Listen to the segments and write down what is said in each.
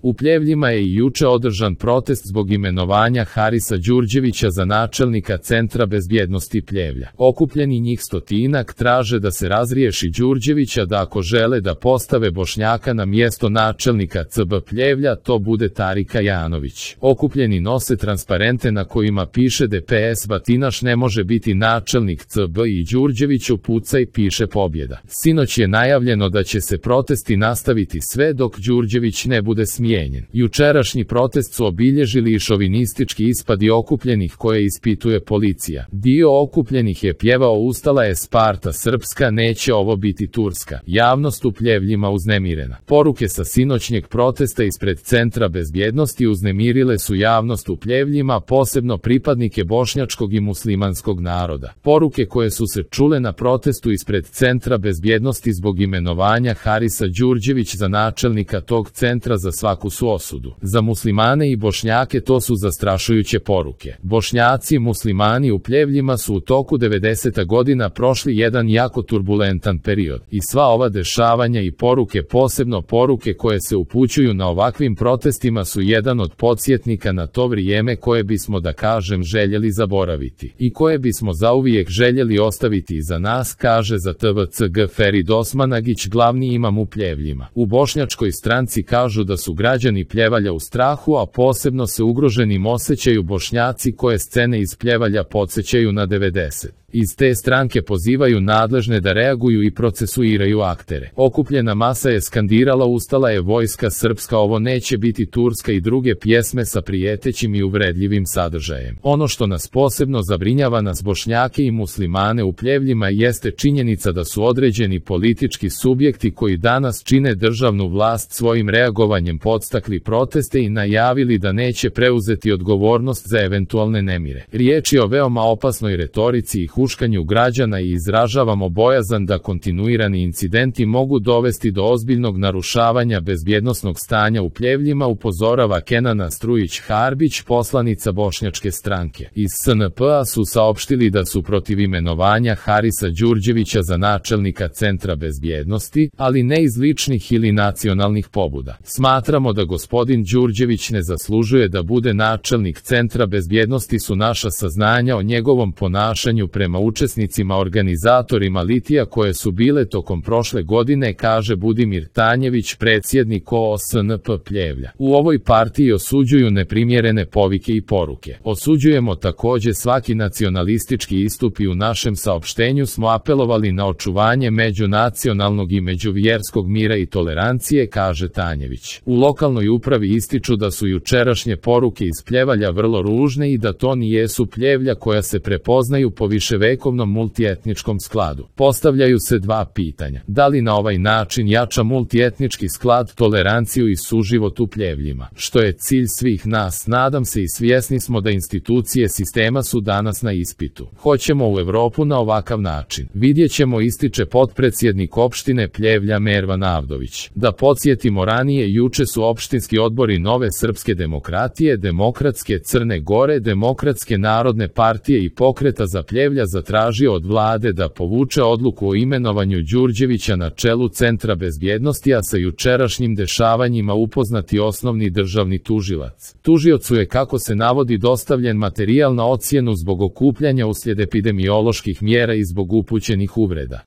U Pljevljima je i juče održan protest zbog imenovanja Harisa Đurđevića za načelnika Centra bezbjednosti Pljevlja. Okupljeni njih stotinak traže da se razriješi Đurđevića, da ako žele da postave Bošnjaka na mjesto načelnika CB Pljevlja, to bude Tarika Janović. Okupljeni nose transparente na kojima piše DPS Batinaš ne može biti načelnik CB i Đurđeviću pucaj piše pobjeda. Sinoć je najavljeno da će se protesti nastaviti sve dok Đurđević ne bude smijenjen. Jučerašnji protest su obilježili i šovinistički ispadi okupljenih koje ispituje policija. Dio okupljenih je pjevao ustala je Sparta srpska, neće ovo biti Turska. Javnost u Pljevljima uznemirena. Poruke sa sinoćnjeg protesta ispred Centra bezbjednosti uznemirile su javnost u Pljevljima, posebno pripadnike bošnjačkog i muslimanskog naroda. Poruke koje su se čule na protestu ispred Centra bezbjednosti zbog imenovanja Harisa Đurđević za načelnika tog centra za svaku su osudu. Za muslimane i Bošnjake to su zastrašujuće poruke. Bošnjaci i muslimani u Pljevljima su u toku 90. godina prošli jedan jako turbulentan period. I sva ova dešavanja i poruke, posebno poruke koje se upućuju na ovakvim protestima, su jedan od podsjetnika na to vrijeme koje bismo, da kažem, željeli zaboraviti i koje bismo zauvijek željeli ostaviti iza nas, kaže za TVCG Ferid Osmanagić, glavni imam u Pljevljima. U bošnjačkoj stranci kažu da su građani Pljevalja u strahu, a posebno se ugroženim osjećaju Bošnjaci koje scene iz Pljevalja podsjećaju na 90. Iz te stranke pozivaju nadležne da reaguju i procesuiraju aktere. Okupljena masa je skandirala ustala je vojska srpska, ovo neće biti Turska i druge pjesme sa prijetećim i uvredljivim sadržajem. Ono što nas posebno zabrinjava nas Bošnjake i muslimane u Pljevljima jeste činjenica da su određeni politički subjekti koji danas čine državnu vlast svojim reagovanjem podstakli proteste i najavili da neće preuzeti odgovornost za eventualne nemire. Riječ je o veoma opasnoj retorici i huškanju građana i izražavamo bojazan da kontinuirani incidenti mogu dovesti do ozbiljnog narušavanja bezbjednosnog stanja u Pljevljima, upozorava Kenana Strujić-Harbić, poslanica bošnjačke stranke. Iz SNP-a su saopštili da su protiv imenovanja Harisa Đurđevića za načelnika Centra bezbjednosti, ali ne iz ličnih ili nacionalnih pobuda. Smatramo da gospodin Đurđević ne zaslužuje da bude načelnik Centra bezbjednosti, su naša saznanja o njegovom ponašanju prema učesnicima organizatorima litija koje su bile tokom prošle godine, kaže Budimir Tanjević, predsjednik OSNP Pljevlja. U ovoj partiji osuđuju neprimjerene povike i poruke. Osuđujemo također svaki nacionalistički istup i u našem saopštenju smo apelovali na očuvanje međunacionalnog i međuvjerskog mira i tolerancije, kaže Tanjević. U lokalnoj upravi ističu da su jučerašnje poruke iz Pljevalja vrlo ružne i da to nijesu Pljevlja koja se prepoznaju po viševekovnom multietničkom skladu. Postavljaju se dva pitanja. Da li na ovaj način jača multietnički sklad toleranciju i suživot u Pljevljima, što je cilj svih nas, nadam se, i svjesni smo da institucije sistema su danas na ispitu. Hoćemo u Europu na ovakav način. Vidjet ćemo, ističe potpredsjednik opštine Pljevlja Mervan Avdović. Da podsjetimo, ranije juče su opštinski odbori Nove srpske demokratije, Demokratske Crne Gore, Demokratske narodne partije i Pokreta za Pljevlja zatražio od vlade da povuče odluku o imenovanju Đurđevića na čelu Centra bezbjednosti, a sa jučerašnjim dešavanjima upoznati osnovni državni tužilac. Tužiocu je, kako se navodi, dostavljen materijal na ocjenu zbog okupljanja uslijed epidemioloških mjera i zbog upućenih uvreda.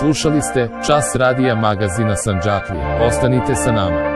Slušali ste Čas radija magazina Sandžaklija. Ostanite sa nama.